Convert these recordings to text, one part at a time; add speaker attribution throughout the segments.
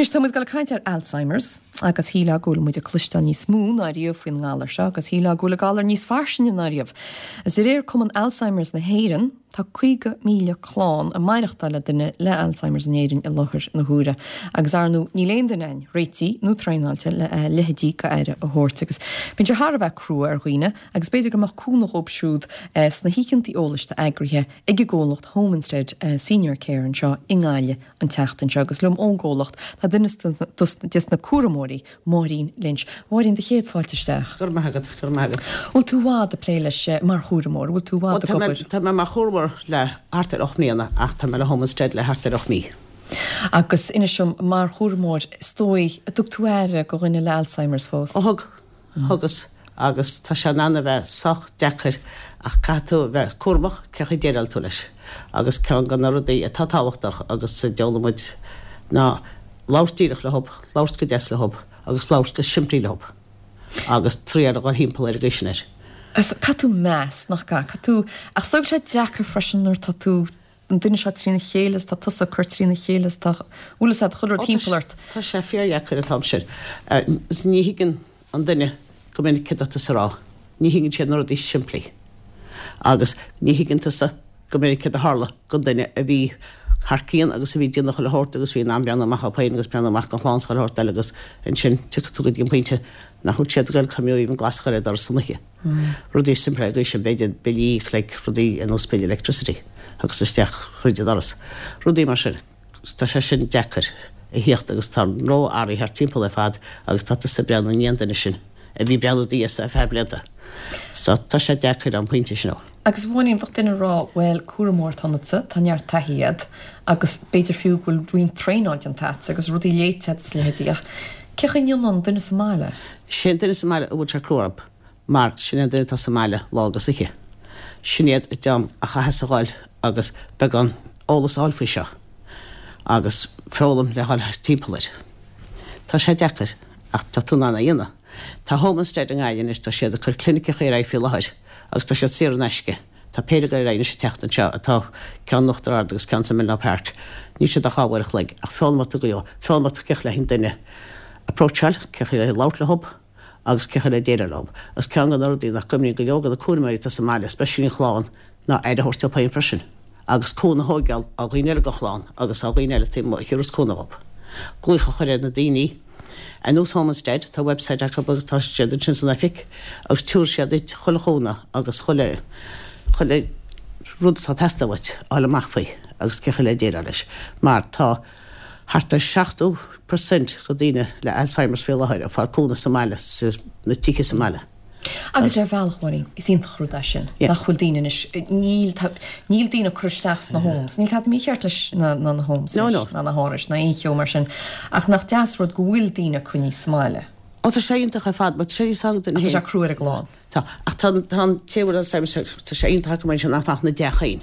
Speaker 1: Anois tá muid ag dul ag caint ar Alzheimer's agus shílfeá go bhfuil muid ag cloisteáil níos mó ná riamh faoin ngalar seo agus shílfeá go bhfuil an galar níos fairsinge ná riamh. Is de réir Cumann Alzheimer's na hÉireann, tá 50,000 clann ag maireachtáil le duine le Alzheimer's in Éirinn i láthair na huaire agus ar ndóigh níl aon duine againn réitithe nó traenáilte le a leithéidí d'aire a thabhairt agus bíonn sé thar a bheith crua ar dhaoine agus b'fhéidir go mbeadh cúnamh dhóibh siúd sna hoícheanta eolais atá eagraithe ag an gcomhlacht Home Instead Senior Care anseo i nGaillimh an tseachtain seo agus liom ón gcomhlacht tá duine des na cúramóirí, Máirín Lynch. Máirín, do chéad fáilte isteach.
Speaker 2: Go raibh maith agat, go raibh maith agat.
Speaker 1: Bhfuil tú i bhfad ag plé leis mar chúramóir? Bhfuil tú i bhfad ag obair?
Speaker 2: Tá mé mar chúramóir le thart ar 8 mbliana ach tá mé le Home Instead le thart ar 8 mí.
Speaker 1: Agus inis dom, mar chúramóir, is dóigh, an dtug tú aire do dhuine le Alzheimer's fós?
Speaker 2: Ó thug. Thugas, agus tá sé in ann a bheith sách deacair ach caithfidh tú a bheith cúramach cén chaoi a déileáil tú leis. Agus ceann de na rudaí atá tábhachtach agus a d'fhoghlaim muid ná labhairt díreach leob, labhairt go deas leob agus labhairt go simplí leob agus triail a dhul thimpeall ar an gcaoi sin air.
Speaker 1: Agus caithfidh tú meas, nach gcaithfidh? Caithfidh tú, ach is dóigh go bhfuil sé deacair freisin nuair atá tú an duine seo trína chéile is tá tusa ag cur trína chéile is tá, bhfuil fhios agat, chuile rud timpeall ort.
Speaker 2: Tá sé fíordheacair an t-am sin. Ní thuigeann an duine go minic céard atá tusa a rá. Ní thuigeann siad na rudaí simplí. Agus ní thuigeann tusa go minic céard a tharla don duine a bhí thar cionn agus a bhí ag déanamh chuile shórt agus bhí in ann breathnú amach dhóibh féin agus breathnú amach don chlann is chuile shórt eile agus ansin tiocfaidh tú go dtí an pointe nach bhfuil siad ag goil coimriú even glas a chur ar doras san oíche. Rudaí simplí ar an gcaoi sin, b'fhéidir billí like rudaí ar nós bill electricity agus isteach thríd an doras. Rudaí mar sin. Tá sé sin deacair a thíocht agus tá an ró-airí thart timpeall ar fad agus tá tusa ag breathnú i ndiaidh an duine sin a bhí ag breathnú i do dhiaidhsa ar feadh blianta. So tá sé deacair an pointe sin.
Speaker 1: Agus a Mháirín, bheadh duine ag rá, bhuel, cúramóir atá ionatsa, tá neart taithí agat agus b'fhéidir fiú go bhfuil roinnt traenáil déanta agat agus rudaí léite agat is a leithéidí ach cé chaoi a ndéanann an duine sa mbaile?
Speaker 2: Sé an duine sa mbaile a bhfuil sé crua orthu mar sin é an duine atá sa mbaile lá agus oíche. Sin iad an dream a chaitheas a dhul agus beagán eolas a fháil faoi seo agus foghlaim le dhul timpeall air. Tá sé deacair ach tá tú in ann é a dhéanamh. Tá Home Instead i nGaillimh anois, tá siad ag cur cliniceacha ar aghaidh faoi láthair agus tá siad saor in aisce. Tá péire ag dul ar aghaidh anois an tseachtain seo atá ceann in Uachtar Ard agus ceann sa Milnor Park. Níl siad ach dhá uair a chloig ach foghlaimeoidh tú go leor. Foghlaimeoidh tú cén chaoi le an duine approacháil, cén chaoi le labhairt leob agus cén chaoi le déileáil leob. Agus ceann de na rudaí nach gcuimhníonn go leor de na cúramóirí atá sa mbaile, especially an chlann, ná aire a thabhairt dóibh féin freisin agus cúnamh a thóigeáil ó dhaoine eile den chlann agus ó dhaoine eile taobh amuigh a thiúrfas cúnamh dhóibh. Glaoch a chur ar na daoine. Ar nós Home Instead, tá website acu agus tá siad ansin san oifig agus tiúrfaidh siad duit chuile chúnamh agus chuile, chuile rud atá ag teastáil uait a fháil amach faoi agus cén chaoi le déileáil leis. Mar tá thart ar 70% de daoine le Alzheimer's faoi láthair ag fáil cúnamh sa mbaile, sna tithe sa mbaile.
Speaker 1: Agus ar bhealach, Máirín, is iontach an rud é sin, nach bhfuil daoine anois, níl, níl daoine ag cur isteach sna homes, níl tada mícheart leis na, na homes anois, ná na hárais, ná aon cheo mar sin, ach nach deas rud go bhfuil daoine coinnithe sa mbaile.
Speaker 2: Ó tá sé iontach ar fad, mar tá sé níos fearr don duine
Speaker 1: Ach tá sé crua ar an gclann.
Speaker 2: Tá, ach tá, tá an té a bhfuil Alzheimer's, tá sé iontach acu mar sin nach mbeadh na dteach féin.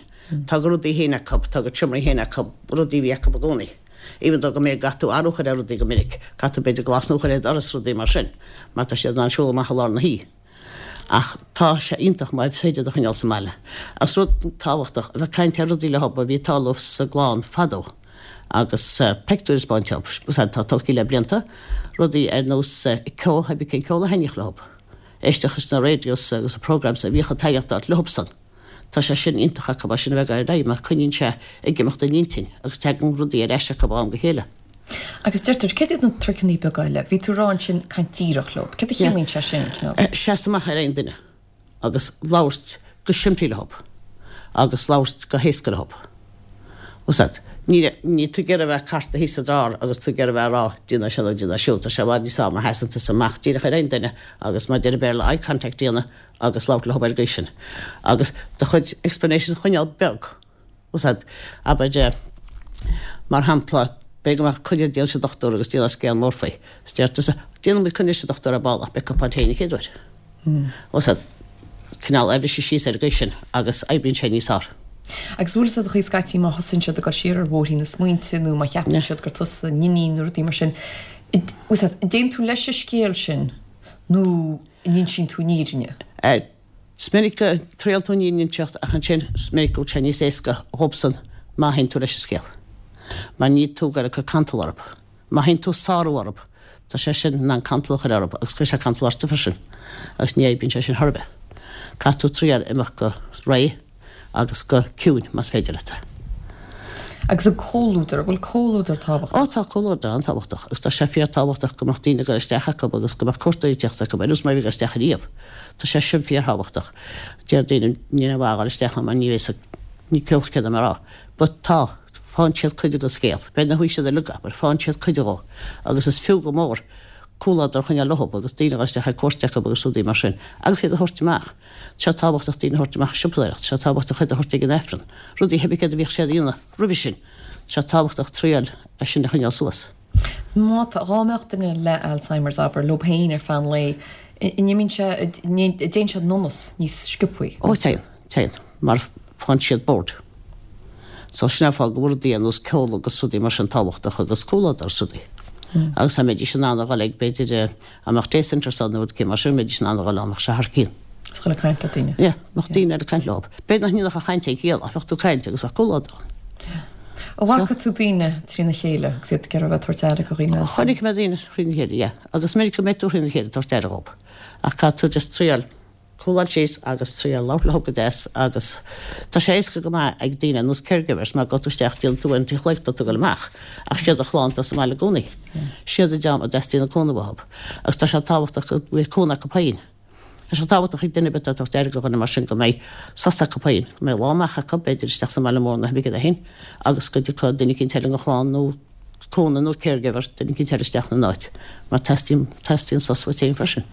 Speaker 2: Tá a rudaí féin acu, tá a gcuid seomraí féin acu, rudaí a bhí acu i gcónaí. Even though go mbeidh caithfidh tú athrú a chur ar rudaí go minic, caithfidh tú b'fhéidir glas nua a chur ar doras, rudaí mar sin, mar tá siad in ann siúl amach i lár na hoíche. Ach tá sé iontach má is féidir iad a choinneáil sa mbaile. Agus rud tábhachtach, a bheith ag caint ar rudaí leo a bhí ag tarlú sa gclann fadó agus pictiúir a 'speáint dóibh, tá tolgtha le blianta, rudaí ar nós ceol, cibé cén ceol a thaitníodh leo, éisteacht leis na radios agus na programmes a bhíodh ag taitneachtáil leobsan. Tá sé sin iontach acu mar sin a bheith ag dul ar aghaidh mar coinníonn sé ag imeacht an intinn agus tagann rudaí ar ais acu ó am go chéile.
Speaker 1: Agus deirtear, céard iad na truiceanna beaga eile? Bhí tú ag rá ansin caint díreach leo. Céard a chiallaíonn sé sin,
Speaker 2: cineál? Seasamh amach ar aon duine agus labhairt go simplí leo agus labhairt go héasca leo. Bhfuil 's agat? Níl, níl tú ag iarraidh a bheith ag cartadh thíos sa drár agus tú ag iarraidh a bheith ag rá déan é seo nó déan é siúd. Tá sé i bhfad níos fearr má sheasann tusa amach díreach ar aon duine agus mar a deir an Béarla eye contact a dhéanamh agus labhairt leo ar an gcaoi sin agus do chuid explanations a choinneáil beag, bhfuil 's agat, abair, mar shampla, b'fhéidir go mbeadh coinne déan leis an dochtúir agus déanamh scéal mór faoi, is deir tusa, déanfaidh muid coinne leis an dochtúir ar ball ach beidh cupán tae an chéad uair. Bhfuil 's agat, cineál a bhriseadh síos ar an gcaoi sin agus oibríonn sé níos fearr.
Speaker 1: Agus bhfuil 'fhios agat an chaoi scaití má thosaíonn siad ag dul siar ar bhóithrín na smaointe nó má cheapann siad gur tusa a n-iníon nó rudaí mar sin, bhfuil 's agat, an dtéann tú leis an scéal sin nó an n-insíonn tú an fhírinne?
Speaker 2: Is minic go dtriaileann tú an fhírinne a inseacht ach ansin is minic go bhfuil sé níos éasca dhóibhsan má théann tú leis an scéal. Mar níl tú ag goil ag cur cantal orthu. Má théann tú ag sárú orthu, tá sé sin in ann cantal a chur orthu agus cuirfidh sé cantal ortsa freisin agus ní oibríonn sé sin chor ar bith. Caithfidh tú triail imeacht go réidh agus go ciúin más féidir leat é.
Speaker 1: Agus an comhluadar, an bhfuil comhluadar tábhachtach?
Speaker 2: Ó tá comhluadar an-tábhachtach agus tá sé fíorthábhachtach go mbeadh daoine ag dul isteach acu agus go mbeadh cuairteoirí ag teacht acu ar nós mar a bhí ag dul isteach ariamh. Tá sé sin fíorthábhachtach. Deir daoine níl aon mhaith a dhul isteach ann mar ní bheidh a fhios ní clú céard a rá. But tá, faigheann siad cuid den scéal. B'fhéidir nach bhfaighidh siad uilig é, but faigheann siad cuid dhó. Agus is fiú go mór comhluadar a choinneáil leo agus daoine a dhul isteach ag cuairt acu agus rudaí mar sin. Agus iad a thabhairt amach. Tá sé tábhachtach daoine a thabhairt amach ag siopadóireacht, tá sé tábhachtach iad a thabhairt ag an Aifreann. Rudaí pé céard a bhíodh siad a dhéanamh roimhe sin. Tá sé tábhachtach triail é sin a choinneáil suas.
Speaker 1: Má tá, dhá mbeadh duine le Alzheimer's, abair, leo féin ar feadh an lae, an imíonn sé, an dtéann sé in donas níos sciobthaí?
Speaker 2: Ó téann, téann, mar faigheann siad bored. So sin é an fáth go bhfuil rudaí ar nós ceol agus rudaí mar sin tábhachtach agus comhluadar is rudaí. Agus dá mbeidís in ann a dhul ag, b'fhéidir, dá mbeadh day centres ann nó rud éicint mar sin, mbeidís in ann a dhul ann, bheadh sé thar cionn.
Speaker 1: Is dhul ag caint le daoine.
Speaker 2: Yeah, bheadh daoine eile ag caint leo. B'fhéidir nach ndéanfadh an chaint aon chiall ach bheadh tú ag caint agus bheadh comhluadar ann.
Speaker 1: Yeah. An bhfaca tú daoine trína chéile agus iad ag iarraidh a bheith ag tabhairt aire do dhaoine eile?
Speaker 2: Chonaic mé daoine thrína chéile, yeah. Agus minic go mbeidh tú thrína chéile ag tabhairt aire dhóibh. Ach caithfidh tú just triail cúláil síos agus triail labhairt leo go deas agus tá sé éasca go maith ag daoine ar nós caregivers mar gabhann tú isteach déanann tú an t-chlaíocht tá tú ag dul amach ach siad do chlann atá sa mbaile i gcónaí. Siad an dream a dteastaíonn an cúnamh uathu agus tá sé tábhachtach go mbeidh cúnamh acu féin. Tá sé tábhachtach ag duine ar bith atá ag tabhairt aire do dhuine mar sin go mbeidh sos acu féin, go mbeidh lá amach acu, b'fhéidir isteach sa mbaile mór nó pé céard é féin agus go dtiocfaidh duine eicínt eile den chlann nó cúnamh nó caregiver, duine eicínt eile isteach ina n-áit mar teastaíonn, teastaíonn sos uait féin freisin.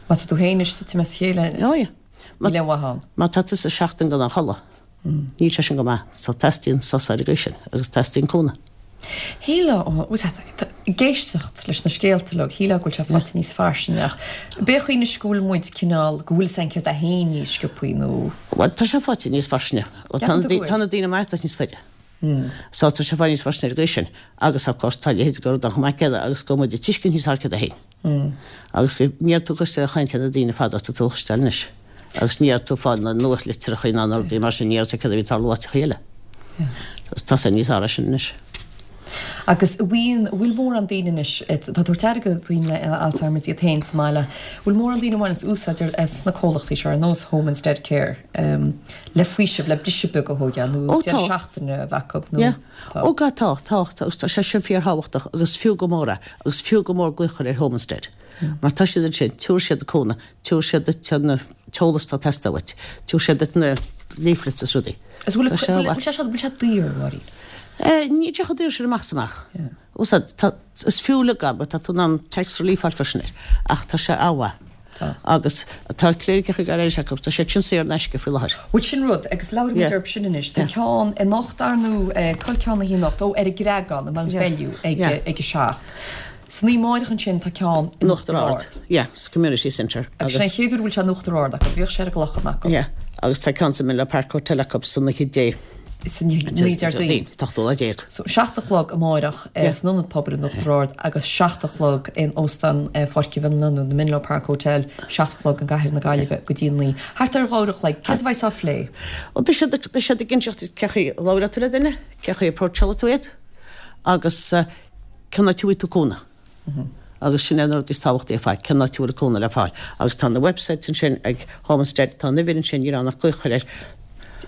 Speaker 1: Má tá tú féin ag titim as a chéile, níl aon mhaith ann.
Speaker 2: Má tá tusa seachtain gan aon chodladh, níl sé sin go maith. So teastaíonn sos ar an gcaoi sin agus teastaíonn cúnamh.
Speaker 1: Shílfeá, ag éisteacht leis na scéalta uilig, shílfeá go bhfuil sé faighte níos fairsinge ach b'é an chaoi anois go bhfuil muid cineál, go bhfuil a fhios againn céard é féin níos sciobthaí nó.
Speaker 2: Bhuel, tá sé faighte níos fairsinge. Tá na daoine ag maireachtáil níos faide. So tá sé faighte níos fairsinge ar an gcaoi sin agus of course tá a leithéid de rud ann chomh maith céanna agus go bhfuil muid ag tuiscint níos fearr céard é féin. Agus bhí, ní raibh tú ag cloisteáil chaint ar na daoine fadó tá tú a chloisteáil anois. Agus ní raibh tú ag fáil na nuachtlitreacha ná na rudaí mar sin, ní raibh a fhios agat céard a bhí ag tarlú áiteachaí eile. Tá sé níos fearr é sin anois.
Speaker 1: Agus an bhfuil, an bhfuil mórán daoine anois, atá ag tabhairt aire do dhaoine le Alzheimer's iad féin sa mbaile, an bhfuil mórán daoine a bhaineanns úsáid as na comhlachtaí seo ar nós Home Instead Care le faoiseamh, le briseadh beag a thógáil nó deireadh seachtaine a bheith acu nó.
Speaker 2: Tá. Ó tá, tá, tá, agus tá sé sin fíorthábhachtach agus fiú go mór é, agus fiú go mór glaoch a chur ar Home Instead. Mar tá siad ansin, tabharfaidh siad an cúnamh, tabharfaidh siad duit an t-eolas atá ag teastáil uait, tabharfaidh siad duit na leaflets is rudaí.
Speaker 1: Is bhfuil, bhfuil sé seo, bhfuil sé daor, Máirín?
Speaker 2: Níl sé chomh daor sin amach is amach. Bhfuil fhios agat, is fiú le gab, tá tú in ann tax relief a fháil freisin air, ach tá sé an-mhaith.
Speaker 1: Tá.
Speaker 2: Agus tá cliniceacha gairis acu, tá siad sin saor in aisce faoi láthair.
Speaker 1: Bhuel sin rud, agus labhróidh muid orthu sin anois. Tá ceann anocht, ar ndóigh, col ceann a haon anocht, ó, ar an gCreagán, i Mount Bellew ag ag a 7. San oíche amárach ansin tá ceann
Speaker 2: in Uachtar Ard. Yeah, sa Community Centre.
Speaker 1: Agus sin an chéad uair a bhfuil sé in Uachtar Ard acu, bhíodh sé ar an gClochán acu.
Speaker 2: Yeah, agus tá ceann sa Menlo Park Hotel acu san oíche Dé.
Speaker 1: San oíche Déardaoin.
Speaker 2: An t-ochtú lá déag.
Speaker 1: So, 7 a chlog amáireach san Ionad Pobail in Uachtar Ard agus 7 a chlog in Óstán Pháirc Mhenlo nó the Menlo Park Hotel, 7 a chlog i gcathair na Gaillimhe go dtí 9. Thart ar 2 uair a chloig. Céard a bheas á phlé?
Speaker 2: Bhuel, beidh siad, beidh siad ag inseacht duit cé chaoi a labhróidh tú le duine, cé chaoi a approachálfaidh tú iad agus cén áit a bhfaighidh tú cúnamh. Agus sin é an rud is tábhachtaí ar fad, cén áit a bhfuil an cúnamh le fáil. Agus tá na websites ansin ag Home Instead, tá an uimhir ansin, níl ann ach glaoch a chur air.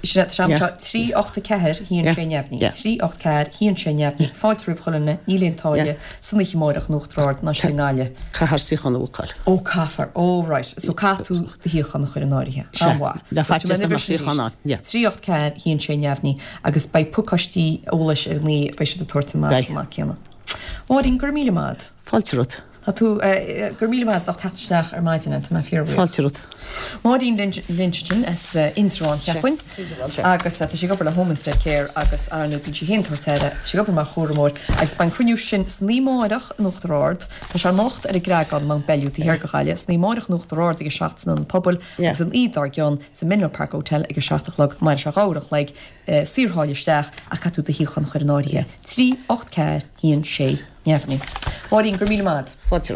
Speaker 1: Sin é, tá sé 3 8 4 1 6 neamhní, 3 8 4 1 6 neamhní, fáilte roimh chuile dhuine, níl aon táille, san oíche amáireach in Uachtar Ard ná istigh i nGaillimh.
Speaker 2: Caithfear suíochán a bhookáil.
Speaker 1: Ó, caithfear, ó right, so caithfidh tú do shuíochán a chur in áirithe.
Speaker 2: An-mhaith. Le faitíos nach mbeadh suíochán ann,
Speaker 1: yeah. 3 8 4 1 6 neamhní, agus beidh pacáistí eolais ar ndóigh, beidh siad ag tabhairt amach chomh maith céanna. Máirín, go raibh míle maith agat.
Speaker 2: Fáilte romhat.
Speaker 1: Tá tú, go raibh míle maith agat as ucht teacht isteach ar maidin, tá mé fíorbhuíoch.
Speaker 2: Fáilte romhat.
Speaker 1: Máirín Lynch ansin as Indreabhán, cheapfainn, agus tá sí ag obair le Home Instead Care agus ar ndóigh bíonn sí féin ag tabhairt aire, tá sí ag obair mar chúramóir agus beidh an cruinniú sin san oíche amáireach in Uachtar Ard, tá sé anocht ar an gCreagán, Mount Bellew, taobh thiar de Ghaillimh, san oíche amáireach in Uachtar Ard ag a 7 san Ionad Pobail agus an oíche dár gcionn sa Menlo Park Hotel ag a 7 a chlog, mairfidh sé 2 uair a chloig. Saortháille isteach ach caithfidh tú do shuíochán a chur in áirithe. 3 8 4 1 6 neamhní. Máirín, go raibh míle maith agat.
Speaker 2: Fáilte romhat.